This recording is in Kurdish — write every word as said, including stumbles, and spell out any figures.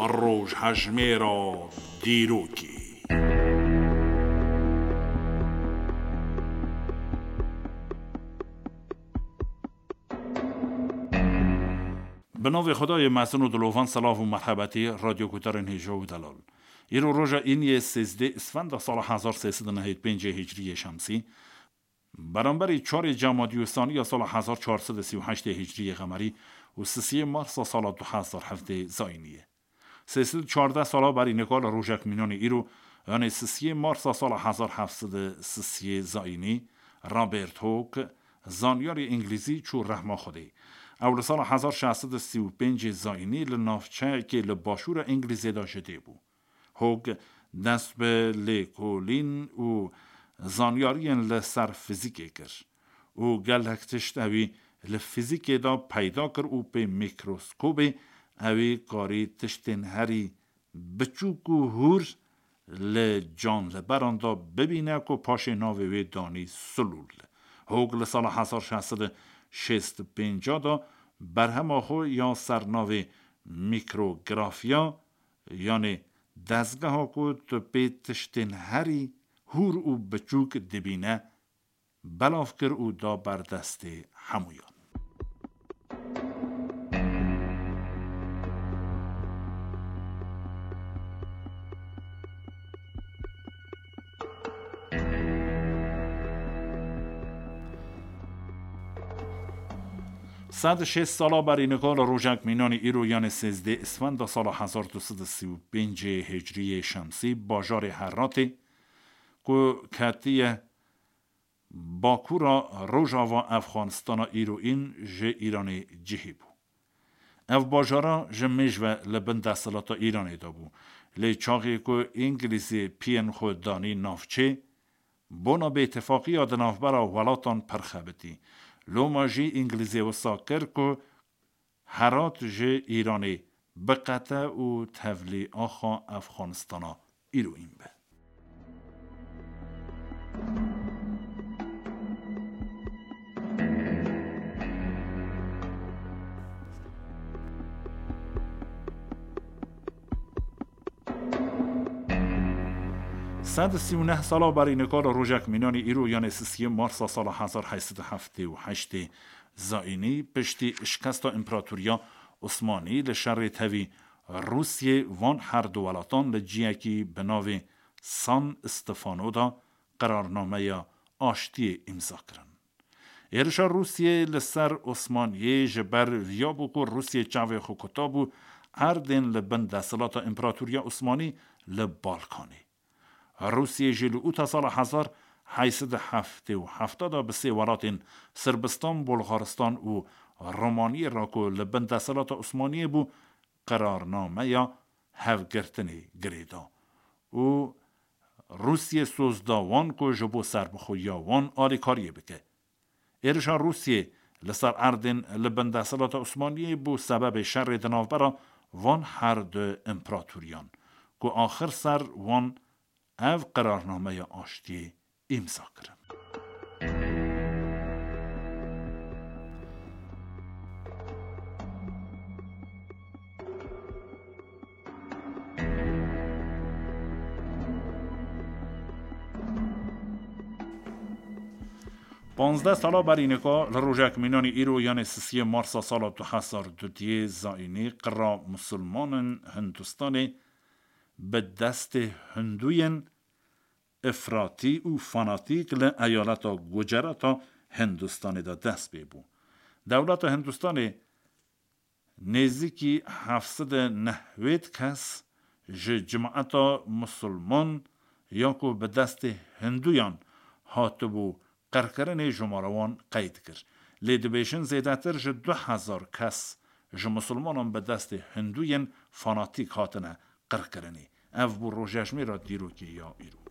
Rojhejmêra dîrokê. Bi navê Xwedayê mezin û dilovan, silav û merhebetî radyoguhdarên hêja û delal. Îro roja îniyê sêzdeh Îsfenda sala hezar sê sed û nehêd pêncê Hicriyê Şemsî, beramberî çarê Cemadî Usaniya sala hezar çar sed û sî û heştê Hicriyê Xemerî û sisiyê Marsa sala du hezar hevdeh Zayînî ye. Sê sed û çardeh sala berî nika li rojek mînanê îro, yanê sisiyê Marsa sala hezar heft sed û sisiyê Zayînî, Robert Hooke, zanyarê îngilîzî, çû rehma Xwedê. Ew li sala hezar şeş sed û sî û pêncê Zayînî li navçeyekê li başûra Îngilîzê de ji dê bû. Hooke dest bi lêkolîn û zanyariyên li ser fîzîkê kir û gelek tişt ewî li fîzîkê de peyda kir û pê mîkroskobê ewî karî tiştên herî biçûk û hûr li canliberan de bibîne ku paşê navê wê danî silûl. Hooke li sala hezar şeş sed û şêst û pênc de berhema xwe ya ser navê mîkrografiya, yanê dezgeha ku tu pê tiştên herî hûr û biçûk dibîne, belav kir û da ber destê hemûyan. Sed û şêst sala berî nika li rojek mînanî îro, yanê sêzdeh Îsfenda sala hezar du sed û sî û pêncê Hicriyê Şemsî, bajarê Heratê ku ketiye bakûra rojava Efxanistana îroîn, ji Îranê cihê bû. Ev bajara ji mêj ve li bin desthilata Îranê de bû. Lê çaxê ku Îngilîzê piyên xwe danî navçê, bona bêtifaqiya di navbera welatan pir xebitî. Loma jî Îngilîzê wisa kir ku Herat ji Îranê biqete û tevlî axa Efxanistana îroîn be. Sed û sî û neh sala berî nika li rojek mînanî îro, yanê sisiyê Marsa sala hezar heyt sed û heftê û heştê Zayînî, piştî şikesta Împaratoriya Osmanî li şerê tevî Rûsiyê, van her du welatan li ciyekî bi navê San Stefano de qerarnameya aştiyê îmza kirin. Êrişa Rûsiyê li ser Osmaniyê ji ber viya bû ku Rûsiyê çavê xwe kuta bû erdên li bin desthilata Împaratoriya Osmanî li Balkanê. Rûsiyê jî li ûta sala hezar heyt sed û heftê û heft de bi sê welatên Sirbistan, Bulgaristan û Romaniyê re ku li bin desthilata Osmaniyê bû, qerarnameya hevgirtinê girê da û Rûsiyê soz da wan ku ji bo serbixweyiya wan alîkariyê bike. Êrişa Rûsiyê li ser erdên li bin desthilata Osmaniyê bû sebebê şerê di navbera van her du împeratoriyan, ku axir ser wan ev qerarnameya aştiyê îmza kirin. Panzdeh sala berî nika li rojek mînanî îro, yanê sisiyê Marsa sala du hezar dudiyê zayînî, qira misilmanin Hindistanê bi destê Hindûyên efratî û fanatîk li eyaleta Gucerata Hindistanê de dest pê bû. Dewleta Hindistanê nêzîkî heft sed û nehwêd kes ji cemaeta misilman ya ku bi destê Hindûyan hatibû qirkirinê jimara wan qeyd kir. Lê dibêjin zêdetir ji du hezar kes ji misilmanan bi destê Hindûyên fanatîk hatine qirkirinê. Ev bû rojejmêra dîrokê ya îro.